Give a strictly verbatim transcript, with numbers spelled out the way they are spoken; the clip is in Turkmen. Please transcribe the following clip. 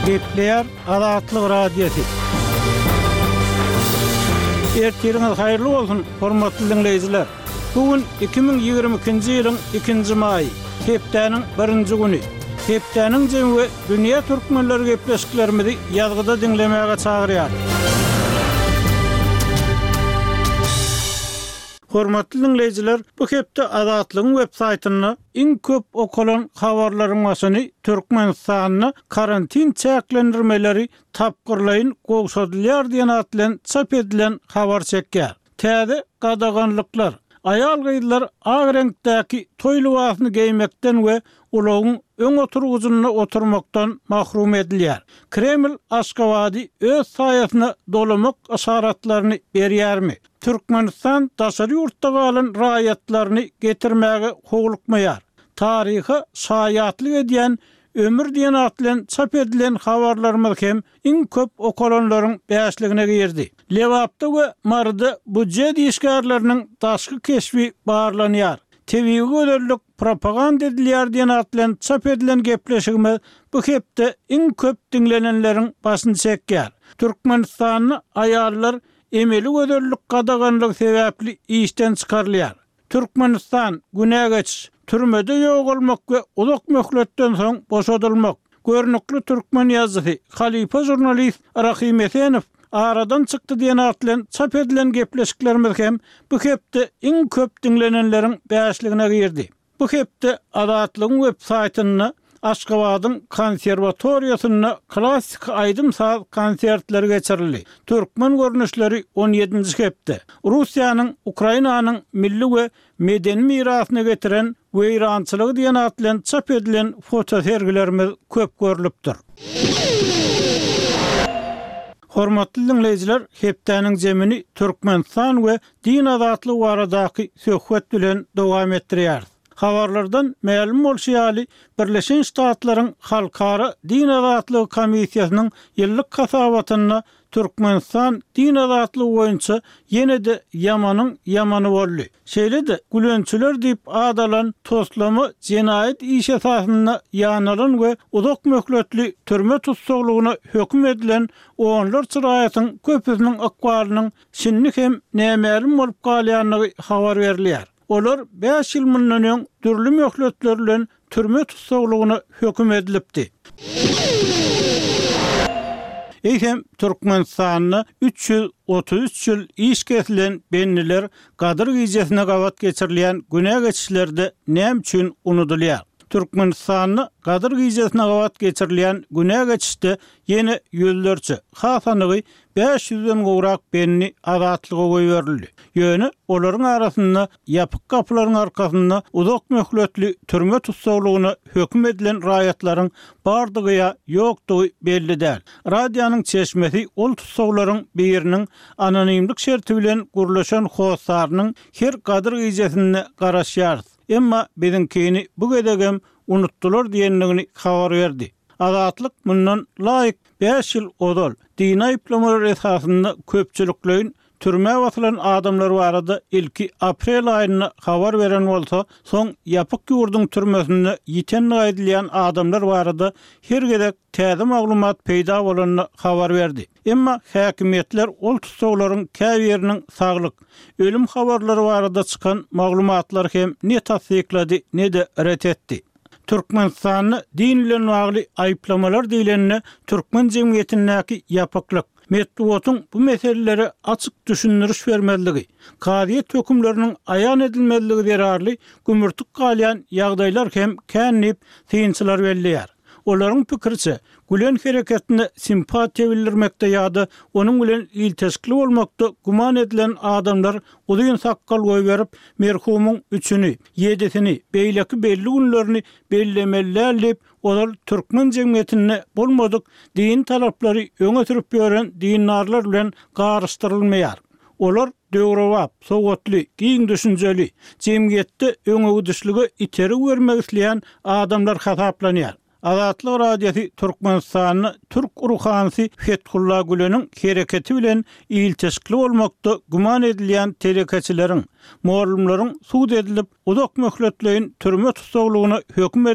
Gepleýär Azatlyk Radiosy. Ertiriňiz haýyrly bolsun, hormatly diňleýjiler! Bu gün iki müň ýigrimi ikinji ýylyň ikinji maýy, hepdäniň birinji güni. Hepdäniň jemi we dünýä türkmenleri gepleşiklerimizi ýazgyda diňlemäge çagyrýar. Hormatly diňleýjiler, bu hepde Azatlygyň web saýtynda iň köp okalan habarlaryň başyny Türkmenistanda karantin çäklendirmeleri tapgyrlaýyn gowşadylýar diýen at bilen çap edilen habar çekýär. Täze gadaganlyklar, aýal-gyzlar ak reňkdäki toý lybasyny geýmekden we ulagyň öň oturgyjynda oturmakdan mahrum edilýär. Kreml Aşgabady öz saýasyna dolamak yşaratlaryny berýärmi? Türkmenistan daşary ýurtda galan raýatlaryny getirmäge howlukmaýar. Taryha şaýatlyk edýän ömür diýen at bilen çap edilen habarlarymyz hem iň köp okalanlaryň bäşligine girdi. Lebapda we Maryda býujet işgärleriniň daşky keşbi barlanýar. Tebigy gözellik propaganda edilýär diýen at bilen çap edilen gepleşigimiz bu hepde iň köp diňlenenleriň başyny çekýär. Türkmenistanda aýallar emeli gözellik gadaganlygy sebäpli işden çykarylýar. Türkmenistan, günä geçiş, türmede ýogalmak we uzak möhletden soň boşadylmak. Görnükli türkmen ýazyjysy, halypa žurnalist Rahym Esenow aradan çykdy diýen at bilen çap edilen gepleşiklerimiz hem bu hepde iň köp diňlenenleriň bäşligine girdi. Bu hepde Azatlygyň web saýtynda Aşgabadyň konserwatoriýasynda klassyky aýdym-saz konsertleri geçirildi. Türkmen görnüşleri on ýedinji hepde Russiýanyň Ukrainanyň milli we medeni mirasyna getiren weýrançylygy diýen at bilen çap edilen fotosergilerimiz köp görlüpdir. Hormatly diňleýjiler, hepdäniň jemini Türkmenistan we din azatlygy baradaky söhbet bilen dowam etdirýäris. Habarlardan mälim bolşy ýaly, Birleşen Ştatlaryň Halkara din azatlygy komissiýasynyň ýyllyk hasabatynda Türkmenistan din azatlygy boýunça ýene-de ýamanyň ýamany boldy. Şeýle-de, gülençiler diýip ad alan toslama jenaýat işi esasynda ýanalan we uzak möhletli türme tussaglygyna höküm edilen onlarça raýatyň köpüsiniň ykbalynyň şindi hem nämälim bolup galýandygy habar berilýär. Olar bäş ýyl mundan öň dürli möhletler bilen türme tussaglygyna höküm edilipdi. Eýsem, Türkmenistanda üç ýüz otuz üç ýyl iş kesilen bendiler Gadyr gijesine gabat geçirilýän günä geçişlerde näme üçin unudylýar? Türkmenistanda Gadyr gijesine gabat geçirilýän günä geçişde ýene ýüzlerçe, has anygy bäş ýüzden gowrak bendi azatlyga goýberildi. Ýöne olaryň arasynda ýapyk gapylaryň arkasynda uzak möhletli türme tussaglygyna höküm edilen raýatlaryň bardygy ýa ýokdugy belli däl. Radionyň çeşmesi ol tussaglaryň biriniň anonimlik şerti bilen gürleşen hossarynyň her Gadyr gijesinde garaşýarys, emma biziňkini bu gezegem unutdylar diýendigini habar berdi. Azatlyk mundan laýyk bäş ýyl ozal dini aýyplamalar esasynda köpçülikleýin türmä basylan adamlar barada ilki aprel aýynda habar beren bolsa, soň ýapyk ýurduň türmesinde ýitendigi aýdylýan adamlar barada her gezek täze maglumat peýda bolanda habar berdi. Emma häkimiýetler ol tussaglaryň käbiriniň saglyk, ölüm habarlary barada çykan maglumatlary hem ne tassyklady, ne-de ret etdi. Türkmenistanda din bilen bagly aýyplamalar diýlende türkmen jemgyýetindäki ýapyklyk, metbugatyň bu meselelere açyk düşündiriş bermezligi, kazyýet hökümleriniň aýan edilmezligi zerarly gümürtik galýan ýagdaýlar hem kän diýip, synçylar belleýär. Olaryň pikiriçe, Gülen hereketine simpatiýa bildirmekde ýa-da onuň bilen ilteşikli bolmakda güman edilen adamlar uzyn sakgal goýberip, merhumyň üçüni, ýedisini, beýleki belli günlerini bellemeli däl diýip, ozal türkmen jemgyýetinde bolmadyk dini talaplary öňe sürüp ýören dindarlar bilen garyşdyrylmaýar. Olar döwrebap, sowatly, giň düşünjeli, jemgyýetde öňegidişlige itergi bermek isleýän adamlar hasaplanýar. Azatlyk Radiosy Türkmenistanda türk ruhanysy Fethulla Güleniň hereketi bilen ilteşikli bolmakda güman edilýän telekeçileriň, mugallymlaryň sud edilip, uzak möhletleýin türme tussaglygyna höküm